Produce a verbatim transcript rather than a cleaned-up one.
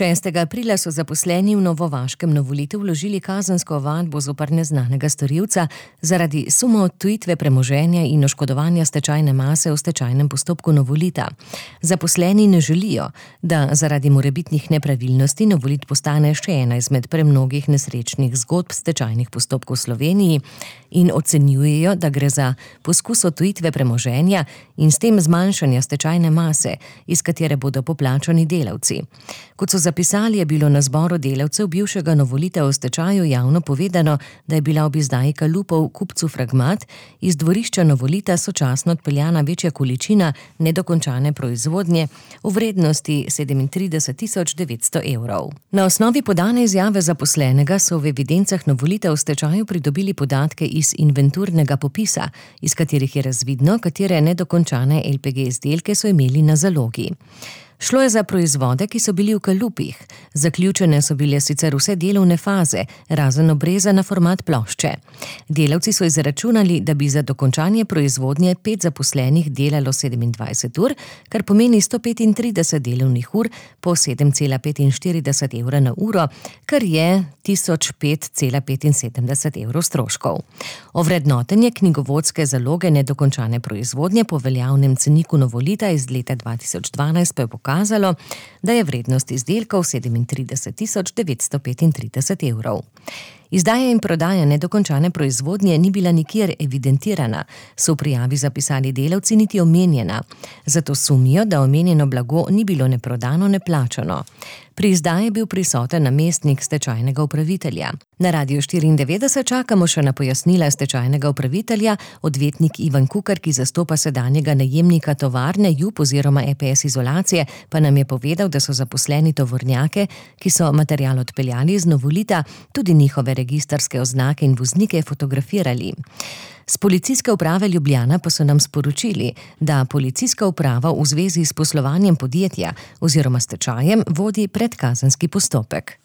šestega aprila so zaposleni v novovaškem Novolitu vložili kazensko ovadbo zoper neznanega storilca zaradi suma odtujitve premoženja in oškodovanja stečajne mase v stečajnem postopku Novolita. Zaposleni ne želijo, da zaradi morebitnih nepravilnosti Novolit postane še ena izmed premnogih nesrečnih zgodb stečajnih postopkov v Sloveniji in ocenjujejo, da gre za poskus odtujitve premoženja in s tem zmanjšanja stečajne mase, iz katere bodo poplačani delavci. Kot so zapisali, je bilo na zboru delavcev bivšega Novolita v stečaju javno povedano, da je bila ob izdaji kalupov kupcu Fragmat iz dvorišča Novolita sočasno odpeljana večja količina nedokončane proizvodnje v vrednosti sedemintrideset tisoč devetsto evrov. Na osnovi podane izjave zaposlenega so v evidencah Novolita v stečaju pridobili podatke iz inventurnega popisa, iz katerih je razvidno, katere nedokončane el pe ge izdelke so imeli na zalogi. Šlo je za proizvode, ki so bili v kalupih. Zaključene so bile sicer vse delovne faze, razen obreza na format plošče. Delavci so izračunali, da bi za dokončanje proizvodnje pet zaposlenih delalo sedemindvajset ur, kar pomeni sto petintrideset delovnih ur po sedem cela petinštirideset evra na uro, kar je tisoč pet cela petinsedemdeset evrov stroškov. Ovrednotenje knjigovodske zaloge nedokončane proizvodnje po veljavnem ceniku Novolita iz leta dva tisoč dvanajst pa je pokazalo, Kazalo, da je vrednost izdelkov sedemintrideset tisoč devetsto petintrideset evrov. Izdaja in prodaja nedokončane proizvodnje ni bila nikjer evidentirana, so v prijavi zapisali delavci niti omenjena. Zato sumijo, da omenjeno blago ni bilo ne prodano, ne plačano. Pri izdaji je bil prisoten namestnik stečajnega upravitelja. Na Radiu štiriindevetdeset čakamo še na pojasnila stečajnega upravitelja, odvetnik Ivan Kukar, ki zastopa sedanjega najemnika tovarne J U P oziroma E P S izolacije, pa nam je povedal, da so zaposleni tovornjake, ki so material odpeljali iz Novolita, tudi njihove registrske oznake in voznike fotografirali. Z Policijske uprave Ljubljana pa so nam sporočili, da policijska uprava v zvezi s poslovanjem podjetja oziroma stečajem vodi predkazenski postopek.